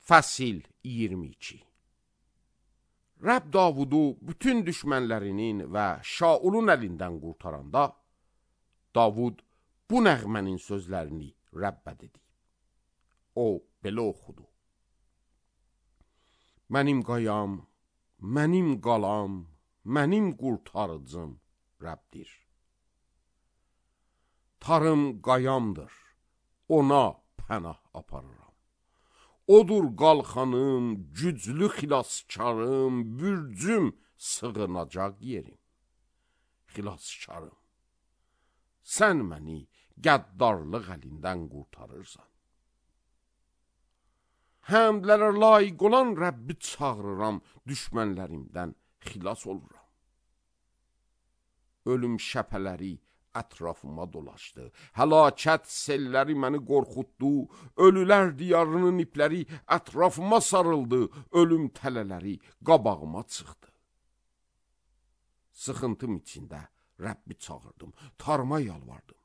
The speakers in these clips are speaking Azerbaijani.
Fəsil 22. Rəbb Davudu bütün düşmənlərinin və Şaulun əlindən qurtaranda, Davud bu nəğmənin sözlərini Rəbbə dedi. O belə oxudu. Mənim qayam, mənim qalam, mənim qurtarıcım Rəbdir. Tarım qayamdır, ona pənah aparıram. Odur qalxanım, güclü xilaskarım, bürcüm, sığınacaq yerim. Xilaskarım, sən məni qəddarlıq əlindən qurtarırsan. Həmdlərə layiq olan Rəbbi çağırıram, düşmənlərimdən xilas oluram. Ölüm şəpələri ətrafıma dolaşdı, həlakət selləri məni qorxutdu, ölülər diyarının ipləri ətrafıma sarıldı, ölüm tələləri qabağıma çıxdı. Sıxıntım içində Rəbbi çağırdım, tarıma yalvardım.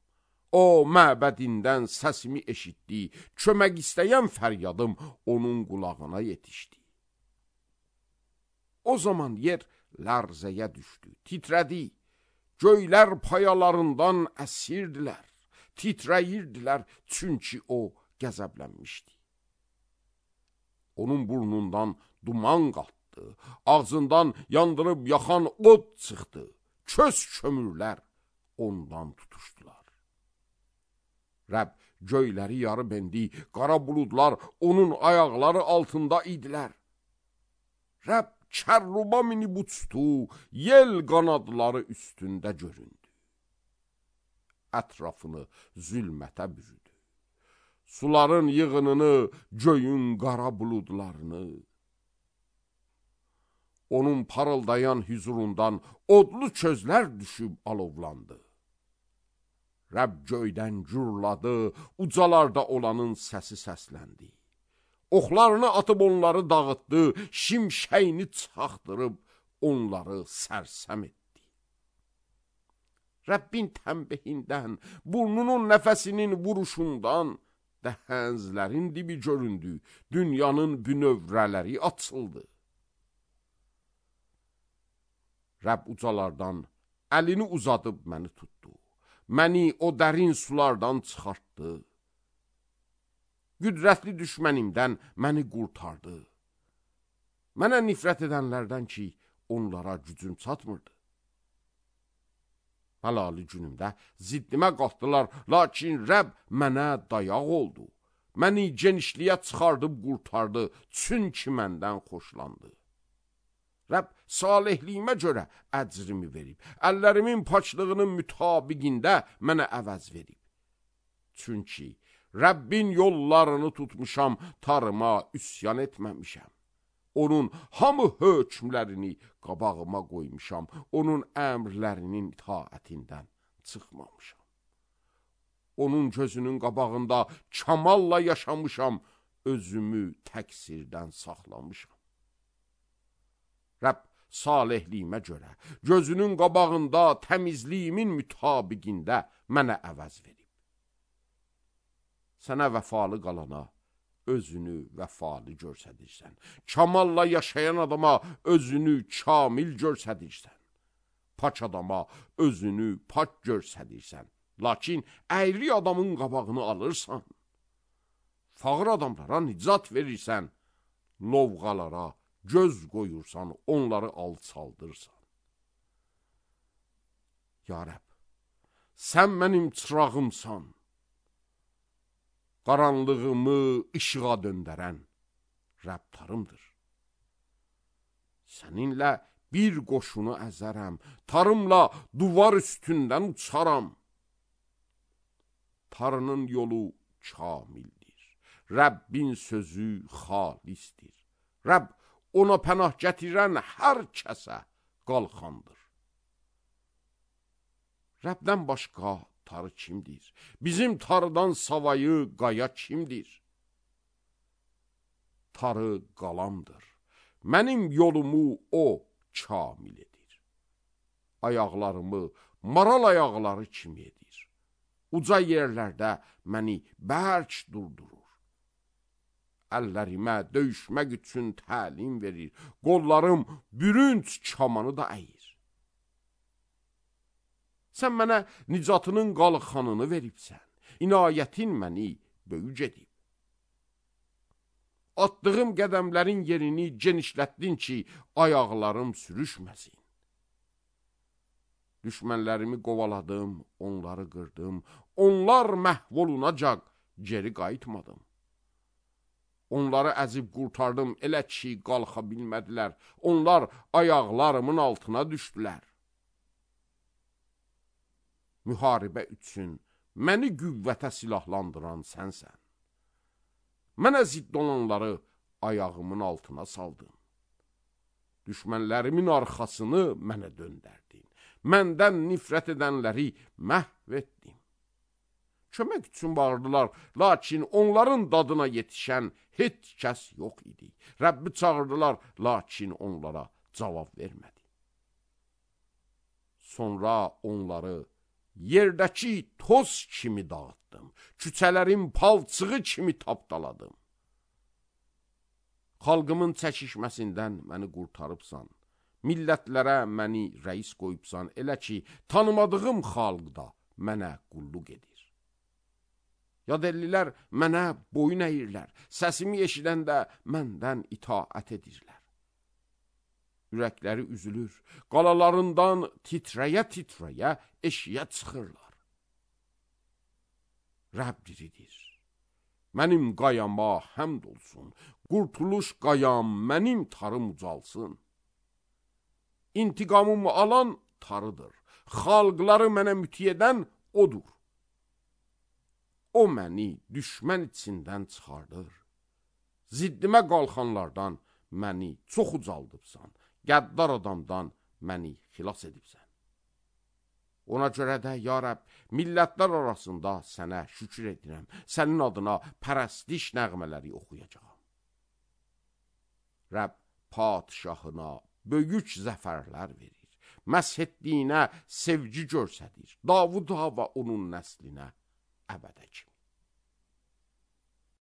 O, məbədindən səsimi eşitdi, kömək istəyən fəryadım onun qulağına yetişdi. O zaman yer lərzəyə düşdü, titrədi. Göylər payalarından əsirdilər, titrəyirdilər, çünki o qəzəblənmişdi. Onun burnundan duman qalxdı, ağzından yandırıb yaxan od çıxdı, köz kömürlər ondan tutuşdular. Rəbb göyləri yarıb endi, qara buludlar onun ayaqları altında idilər. Rəbb kərruba minib uçdu, yel qanadları üstündə göründü. Ətrafını zülmətə bürüdü. Suların yığınını, göyün qara buludlarını. Onun parıldayan hüzurundan odlu közlər düşüb alovlandı. Rəbb göydən gürladı, ucalarda olanın səsi səsləndi. Oxlarını atıb onları dağıtdı, şimşəyini çaxdırıb onları sərsəm etdi. Rəbbin tənbihindən, burnunun nəfəsinin vuruşundan dəhənzlərin dibi göründü, dünyanın bünövrələri açıldı. Rəbb ucalardan əlini uzadıb məni tutdu, məni o dərin sulardan çıxartdı. Qüdrətli düşmənimdən məni qurtardı. Mənə nifrət edənlərdən ki, onlara gücüm çatmırdı. Həlali günümdə ziddimə qalxdılar, lakin Rəbb mənə dayaq oldu. Məni genişliyə çıxardıb qurtardı, çünki məndən xoşlandı. Rəbb salihliyimə görə əcrimi verib, əllərimin paçlığının mütabiqində mənə əvəz verib. Çünki Rəbbin yollarını tutmuşam, tarıma üsyan etməmişəm. Onun hamı hökmlərini qabağıma qoymuşam, onun əmrlərinin itaətindən çıxmamışam. Onun gözünün qabağında kamalla yaşamışam, özümü təqsirdən saxlamışam. Rəbb salihliyimə görə, gözünün qabağında təmizliyimin mütabiqində mənə əvəz verib. Sənə vəfalı qalana özünü vəfalı görsədirsən. Kamalla yaşayan adama özünü kamil görsədirsən. Paç adama özünü paç görsədirsən. Lakin əyri adamın qabağını alırsan. Fağır adamlara nicat verirsən. Lovğalara göz qoyursan, onları alçaldırsan. Ya Rəbb, sən mənim çırağımsan. Qaranlığımı işığa döndərən Rəbtarımdır. Səninlə bir qoşunu əzərəm, tarımla duvar üstündən uçaram. Tarının yolu kamildir, Rəbbin sözü xalisdir. Rəbb ona pənah gətirən hər kəsə qalxandır. Rəbdən başqa tarı kimdir? Bizim tarıdan savayı qaya kimdir? Tarı qalamdır. Mənim yolumu o kamil edir. Ayaqlarımı maral ayaqları kimi edir. Uca yerlərdə məni bərk durdurur. əllərimə döyüşmək üçün təlim verir. Qollarım bürünc kamanı da əyir. Sən mənə nicatının qalxanını veribsən. İnayətin məni böyüc edib. Attığım qədəmlərin yerini genişlətdin ki, ayaqlarım sürüşməsin. Düşmənlərimi qovaladım, onları qırdım. Onlar məhv olunacaq, geri qayıtmadım. Onları əzib qurtardım, elə ki, qalxa bilmədilər. Onlar ayaqlarımın altına düşdülər. Müharibə üçün məni qüvvətə silahlandıran sənsən. Mənə zidd olanları ayağımın altına saldın. Düşmənlərimin arxasını mənə döndərdin. Məndən nifrət edənləri məhv etdim. Kömək üçün bağırdılar, lakin onların dadına yetişən heç kəs yox idi. Rəbbi çağırdılar, lakin onlara cavab vermədi. Sonra onları yerdəki toz kimi dağıtdım. Küçələrin palçığı kimi tapdaladım. Xalqımın çəkişməsindən məni qurtarıbsan. Millətlərə məni rəis qoyubsan. Elə ki, tanımadığım xalq da mənə qulluq edir. Yadellilər mənə boyun əyirlər. Səsimi eşidəndə məndən itaət edirlər. Ürəkləri üzülür. Qalalarından titrəyə-titrəyə eşiyə çıxırlar. Rəbb diridir. Mənim qayama həmd olsun. Qurtuluş qayam, mənim tarım ucalsın. İntiqamımı alan tarıdır. Xalqları mənə müti edən odur. O məni düşmən içindən çıxardır. Ziddimə qalxanlardan məni çox ucaldıbsan. Qəddar adamdan məni xilas edibsən. Ona görə də, ya Rəbb, millətlər arasında sənə şükür edirəm. Sənin adına pərəstiş nəğmələri oxuyacağam. Rəbb padişahına böyük zəfərlər verir. Məsh etdiyinə sevgi göstərir. Davuda və onun nəslinə əbədə kimi.